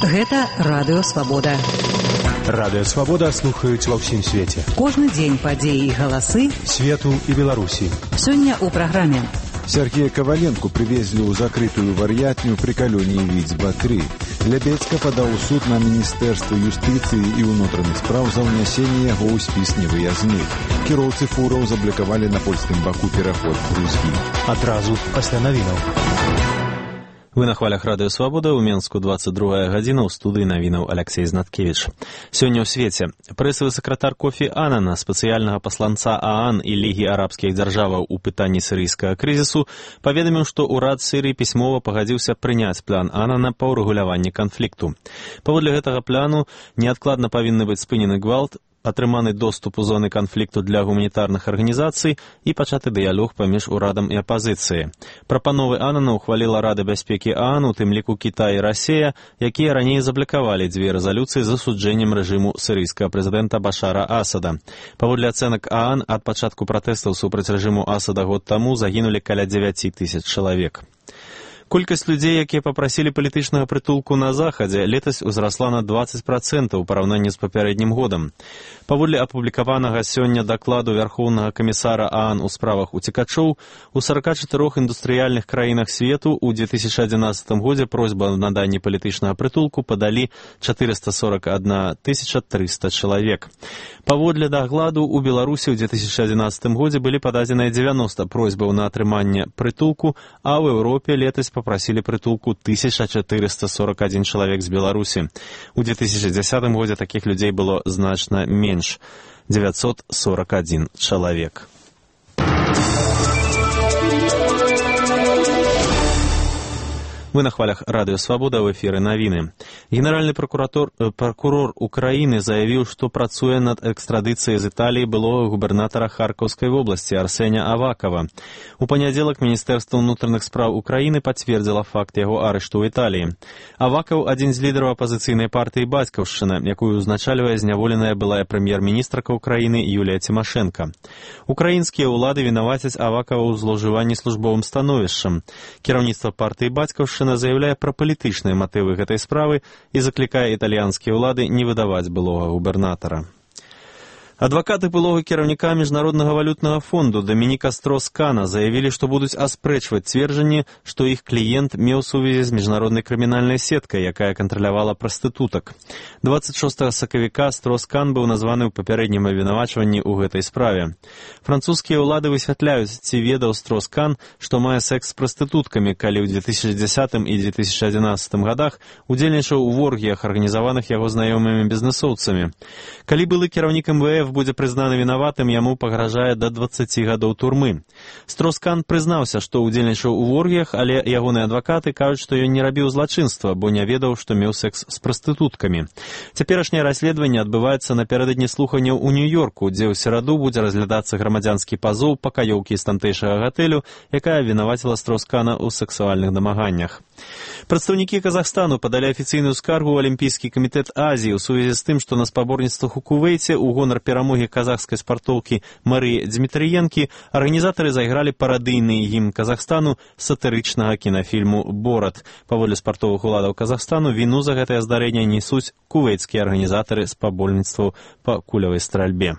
Гэта Радыё Свабода. Радыё Свабода слухаюць ва ўсім свеце. Кожны дзень падзеі і галасы свету і Беларусі. Сёння ў праграме. Сергея Коваленко привезли ў закрытую вар'ятню при калоніі Віцьба-3. Лябедзька падаў у суд на Міністэрства юстыцыі і ўнутраных спраў за ўнясенне яго ў спіс невыязных. Кіроўцы фураў заблакавалі на польскім баку пераход Грузгі. Адразу пасля навінаў. Вы на хвалях Радыё Свабода, у Менску 22 гадзіна, ў студыі навінаў Аляксей Знаткевіч. Сёння ў свеце прэсавы сакратар Кофі Аннана, спецыяльнага пасланца ААН і Лігі арабскіх дзяржаваў у пытанні сірыйскага крызісу, паведаміў, што ўрад Сірыі пісьмова пагадзіўся прыняць план Аннана па ўрэгуляванні канфлікту. Паводле гэтага плану неадкладна павінны быць спынены гвалт, атрыманы доступ у зоны канфлікту для гуманітарных арганізацый і пачаты дыялог паміж урадам і апазіцыяй. Прапановы Аннана ухваліла Рада бяспекі ААН, у тым ліку Кітай і Расія, якія раней заблакавалі дзве рэзалюцыі з асуджэннем рэжыму сірыйскага прэзідэнта Башара Асада. Паводле ацэнак ААН, ад пачатку пратэстаў супраць рэжыму Асада год таму загінулі каля 9 тысяч чалавек. Колькасць людзей, якія папрасілі палітычнага прытулку на Захадзе, летась узрасла на 20% у параўнанні з папярэднім годам. Паводле апублікаванага сёння дакладу Вярхоўнага камісара ААН у справах уцекачоў, у 44 індустрыяльных краінах свету ў 2011 годзе просьбу о наданні палітычнага прытулку падалі 441 300 чалавек. Паводле дакладу у Беларусі ў 2011 годзе былі пададзеныя 90 просьбаў на атрыманне прытулку, а ў Еўропе летась попросили притулку 1441 человек с Беларуси. У 2010 годзе таких людей было значно меньше – 941 человек. Вы на хвалях Радыё Свабода, в эфіры навіны. Генеральны прокурор Украіны заявіў, што працуе над экстрадыцыяй з Італіі былога губернатара Харкаўскай вобласці Арсеня Авакова. У панядзелак Міністэрства ўнутраных спраў Украіны пацвердзіла факт яго арышту ў Італіі. Авакаў – адзін з лідараў апазіцыйнай партыі «Бацькаўшчына», якую ўзначальвае зняволеная былая прэм'ер-міністрка Украіны Юлія Цімашэнка. Украінскія ўлады вінавацяць Авакова ў злоўжыванні службовым становішчам. Кіраўніцтва партыі «Бацькаўшчына» заяўляе пра палітычныя матывы гэтай справы і заклікае італьянскія ўлады не выдаваць былога губернатара. Адвакаты былога кіраўніка Міжнароднага валютнага фонду Дамініка Строскана заявілі, што будуць аспрэчваць цверджанні, што іх кліент меў сувязі з міжнароднай крымінальнай сеткай, якая кантралявала прастытутак. 26 сакавіка Строскан быў названы ў папярэднім абвінавачванні ў гэтай справе. Французскія ўлады высвятляюць, ці ведаў Строскан, што мае секс з прастытуткамі, калі ў 2010 і 2011 годах удзельнічаў у воргіях, арганізаваных яго знаёмымі бізнэсоўцамі. Калі былы кіраўнік МВФ будзе прызнаны вінаватым, яму пагражае да 20 гадоў турмы. Строскан прызнаўся, што удзельнічаў у воргіях, але ягоныя адвакаты кажуць, што ён не рабіў злачынства, бо не ведаў, што меў секс з прастытуткамі. Цяперашняе расследаванне адбываецца напярэдадні слуханняў у Нью-Йорку, дзе ў сераду будзе разглядацца грамадзянскі пазоў пакаёўкі з тамтэйшага гатэлю, якая вінаваціла Строскана ў сексуальных дамаганнях. Прадстаўнікі Казахстану падалі афіцыйную скаргу ў Алімпійскі камітэт Азіі ў сувязі з тым, што на спаборніцтвах у Кувейце ў гонар перамогі казахскай спартоўкі Марыі Дзмітрыенкі арганізатары зайгралі парадыйны гімн Казахстану сатырычнага кінафільму «Борат». Паводле спартовых уладаў Казахстану віну за гэтае здарэнне несуць кувейцкія арганізатары спаборніцтваў па кулявай стральбе.